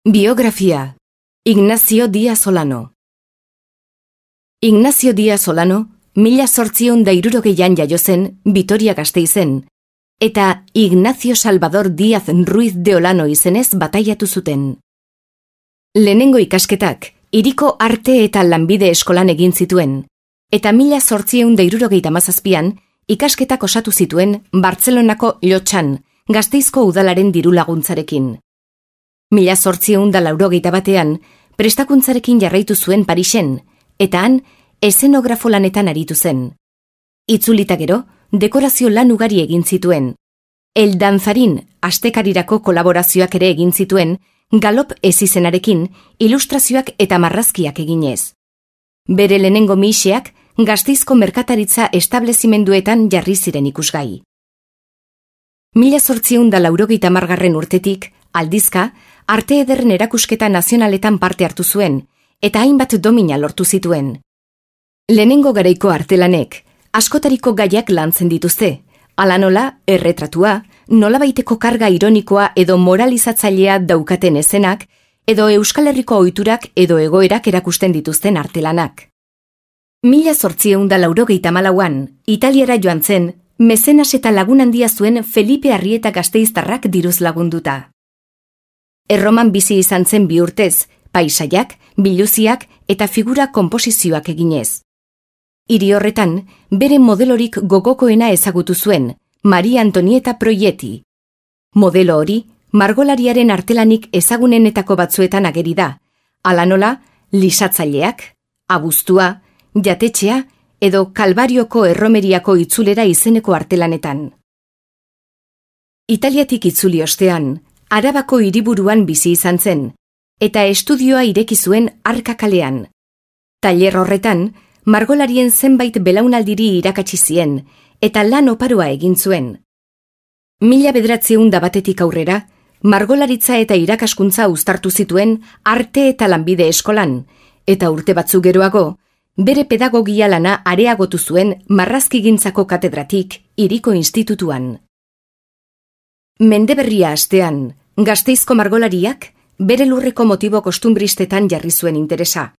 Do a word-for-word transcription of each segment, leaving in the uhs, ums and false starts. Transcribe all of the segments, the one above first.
Biografia. Ignacio Díaz Olano. Ignacio Díaz Olano, mila zortziehun da hirurogeian jaio zen, Vitoria-Gasteizen, eta Ignacio Salvador Díaz Ruiz de Olano izenez bataiatu zuten. Lehenengo ikasketak, hiriko arte eta lanbide eskolan egin zituen, eta mila zortziehun da hirurogeita hamazazpian ikasketak osatu zituen Bartzelonako Llotxan, Gasteizko udalaren diru laguntzarekin. Mila zortziehun da laurogeita batean, prestakuntzarekin jarraitu zuen Parisen, eta han, ezenografo lanetan aritu zen. Itzulita gero, dekorazio lan ugari egin zituen. El Danzarin astekarirako kolaborazioak ere egin zituen, galop ezizenarekin, ilustrazioak eta marrazkiak eginez. Bere lehenengo miseak, Gasteizko merkataritza establezimenduetan jarri ziren ikusgai. Mila zortziehun da laurogeita hamargarren urtetik, aldizka, arte ederren erakusketa nazionaletan parte hartu zuen, eta hainbat domina lortu zituen. Lehenengo garaiko artelanek, askotariko gaiak lantzen dituzte, hala nola, erretratua, nolabaiteko karga ironikoa edo moralizatzailea daukaten ezenak, edo Euskal Herriko ohiturak edo egoerak erakusten dituzten artelanak. Mila zortziehun da laurogeita hamalauan, Italiara joan zen, mezenas eta lagun handia zuen Felipe Arrieta gasteiztarrak diruz lagunduta. Erroman bizi izan zen bi urtez, paisaiak, biluziak eta figura konposizioak eginez. Hiri horretan, bere modelorik gogokoena ezagutu zuen, Maria Antonieta Proietti. Modelo hori, margolariaren artelanik ezagunenetako batzuetan ageri da, hala nola, lisatzaileak, abuztua, jatetxea edo Kalbarioko erromeriako itzulera izeneko artelanetan. Italiatik itzuli ostean, Arabako hiriburuan bizi izan zen, eta estudioa ireki zuen Arka kalean. Tailer horretan, margolarien zenbait belaunaldiri irakatsi zien, eta lan oparoa egin zuen. Mila bederatziehun da batetik aurrera, margolaritza eta irakaskuntza uztartu zituen arte eta lanbide eskolan, eta urte batzuk geroago, bere pedagogia lana areagotu zuen marrazkigintzako katedratik hiriko institutuan. Mendeberria astean, Gasteizko margolariak bere lurreko motibo kostumbristetan jarri zuen interesa.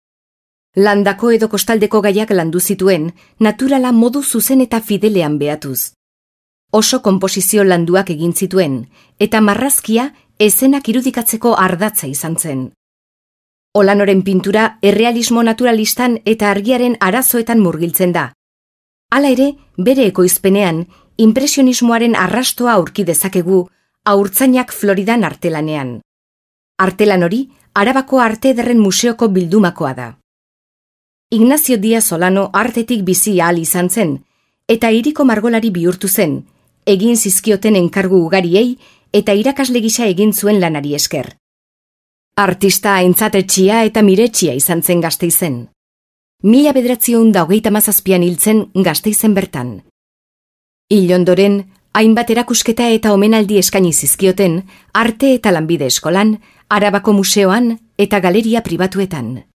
Landako edo kostaldeko gaiak landu zituen, naturala modu zuzen eta fidelean behatuz. Oso konposizio landuak egin zituen, eta marrazkia ezenak irudikatzeko ardatza izan zen. Olanoren pintura errealismo naturalistan eta argiaren arazoetan murgiltzen da. Hala ere, bere ekoizpenean, inpresionismoaren arrastoa aurki dezakegu Haurtzainak Floridan artelanean. Artelan hori, Arabako Arte Ederren Museoko bildumakoa da. Ignacio Díaz Olano artetik bizi ahal izan zen, eta hiriko margolari bihurtu zen, egin zizkioten enkargu ugariei eta irakasle gisa egin zuen lanari esker. Artista aintzatetxia eta miretxia izan zen Gasteizen. Mila bederatziehun da hogeita hamazazpian hiltzen Gasteizen bertan. Hil ondoren, hainbat erakusketa eta omenaldi eskaini zizkioten arte eta lanbide eskolan, Arabako museoan eta galeria pribatuetan.